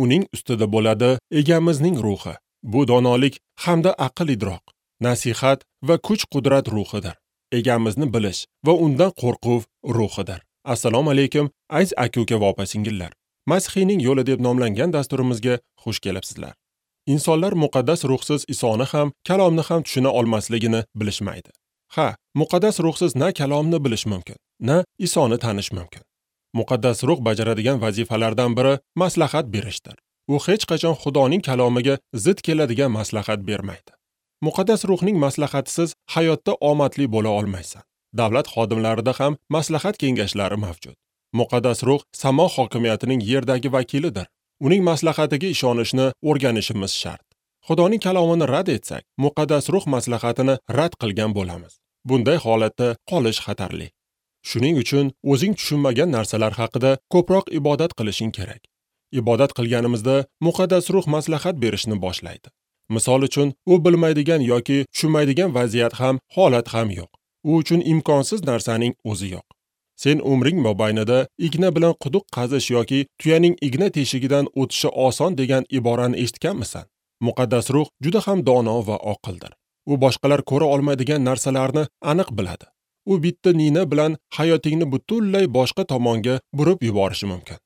Uning ustida bo'ladi Egamizning ruhi. Bu donolik hamda aql-idrok, nasihat va kuch-qudrat ruhidir. Egamizni bilish va undan qo'rquv ruhidir. Assalomu alaykum, aziz aka-uka va opa-singillar. Masihiyning yo'li deb nomlangan dasturimizga xush kelibsizlar. Insonlar muqaddas ruhsiz Isoni ham, kalomni ham tushuna olmasligini bilishmaydi. Ha, muqaddas ruhsiz na kalomni bilish mumkin, na Isoni tanish mumkin. Muqaddas ruh bajaradigan vazifalardan biri maslahat berishdir. U hech qachon Xudoning kalomiga zid keladigan maslahat bermaydi. Muqaddas ruhning maslahatisiz hayotda omadli bo'la olmaysan. Davlat xodimlarida ham maslahat kengashlari mavjud. Muqaddas ruh samo hokimiyatining yerdagi vakilidir. Uning maslahatiga ishonishni o'rganishimiz shart. Xudoning kalomini rad etsak, muqaddas ruh maslahatini rad qilgan bo'lamiz. Bunday holatda qolish xatarli. Shuning uchun o'zing tushunmagan narsalar haqida ko'proq ibodat qilishing kerak. Ibodat qilganimizda muqaddas ruh maslahat berishni boshlaydi. Misol uchun, u bilmaydigan yoki tushunmaydigan vaziyat ham, holat ham yo'q. U uchun imkonsiz narsaning o'zi yo'q. Sen umring mobaynida igna bilan quduq qazish yoki tuyaning igna teshigidan o'tishi oson degan iborani eshitganmisan? Muqaddas ruh juda ham dono va oqildir. U boshqalar ko'ra olmaydigan narsalarni aniq biladi. U bitta nina bilan hayotingni butunlay boshqa tomonga burib yuborishi mumkin.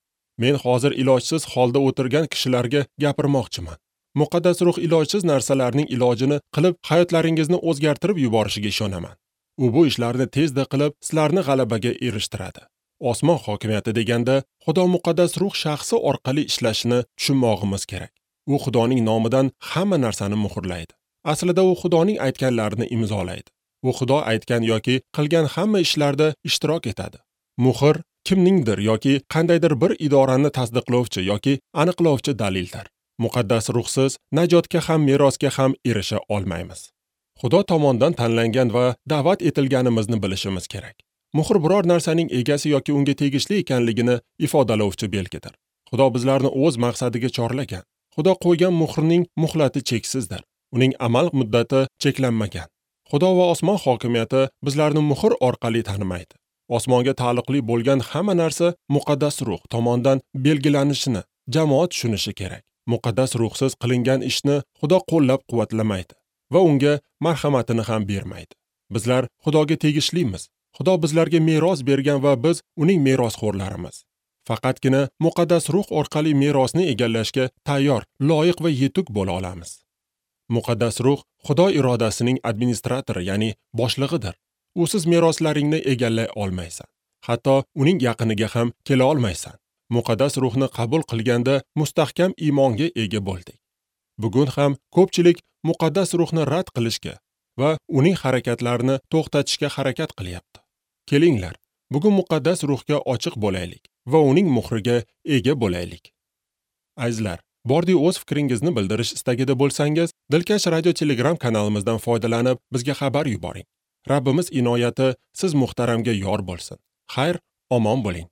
Men hozir ilojsiz holda o'tirgan kishilarga gapirmoqchiman. Muqaddas ruh ilojsiz narsalarning ilojini qilib, hayotlaringizni o'zgartirib yuborishiga ishonaman. U bu ishlarni tezda qilib, sizlarni g'alabaga erishtiradi. Osmon hokimiyati deganda Xudo muqaddas ruh shaxsi orqali ishlashini tushunmog'imiz kerak. U Xudoning nomidan hamma narsani muhrlaydi. Aslida u Xudoning aytganlarini imzolaydi. U Xudo aytgan yoki qilgan hamma ishlarda ishtirok etadi. Muhr kimningdir yoki qandaydir bir idorani tasdiqlovchi yoki aniqlovchi dalildir. Muqaddas ruhsiz najotga ham, merosga ham erisha olmaymiz. Xudo tomonidan tanlangan va da'vat etilganimizni bilishimiz kerak. Muhr biror narsaning egasi yoki unga tegishli ekanligini ifodalovchi belgidir. Xudo bizlarni o'z maqsadiga chorlagan. Xudo qo'ygan muhrning muhlati cheksizdir. Uning amal muddati cheklanmagan. Xudo va osmon hokimiyati bizlarni muhr orqali tanimaydi. Osmonga taalluqli bo'lgan hamma narsa muqaddas ruh tomonidan belgilanishini jamoat tushunishi kerak. Muqaddas ruhsiz qilingan ishni Xudo qo'llab-quvvatlamaydi va unga marhamatini ham bermaydi. Bizlar Xudoga tegishlimiz. Xudo bizlarga meros bergan va biz uning merosxo'rlarimiz. Faqatgina muqaddas ruh orqali merosni egallashga tayyor, loyiq va yetuk bo'la olamiz. Muqaddas ruh Xudo irodasining administratori, ya'ni boshlig'idir. Usiz meroslaringni egallay olmaysan. Hatto uning yaqiniga ham kela olmaysan. Muqaddas ruhni qabul qilganda mustahkam iymonga ega bo'ldik. Bugun ham ko'pchilik muqaddas ruhni rad qilishga va uning harakatlarini to'xtatishga harakat qilyapti. Kelinglar, bugun muqaddas ruhga ochiq bo'laylik va uning muhriga ega bo'laylik. Azizlar, bordi o'z fikringizni bildirish istagida bo'lsangiz, Dilkash radio Telegram kanalimizdan foydalanib bizga xabar yuboring. Rabbimiz inoyati siz muhtaramga yor bo'lsin. Xayr, omon bo'ling.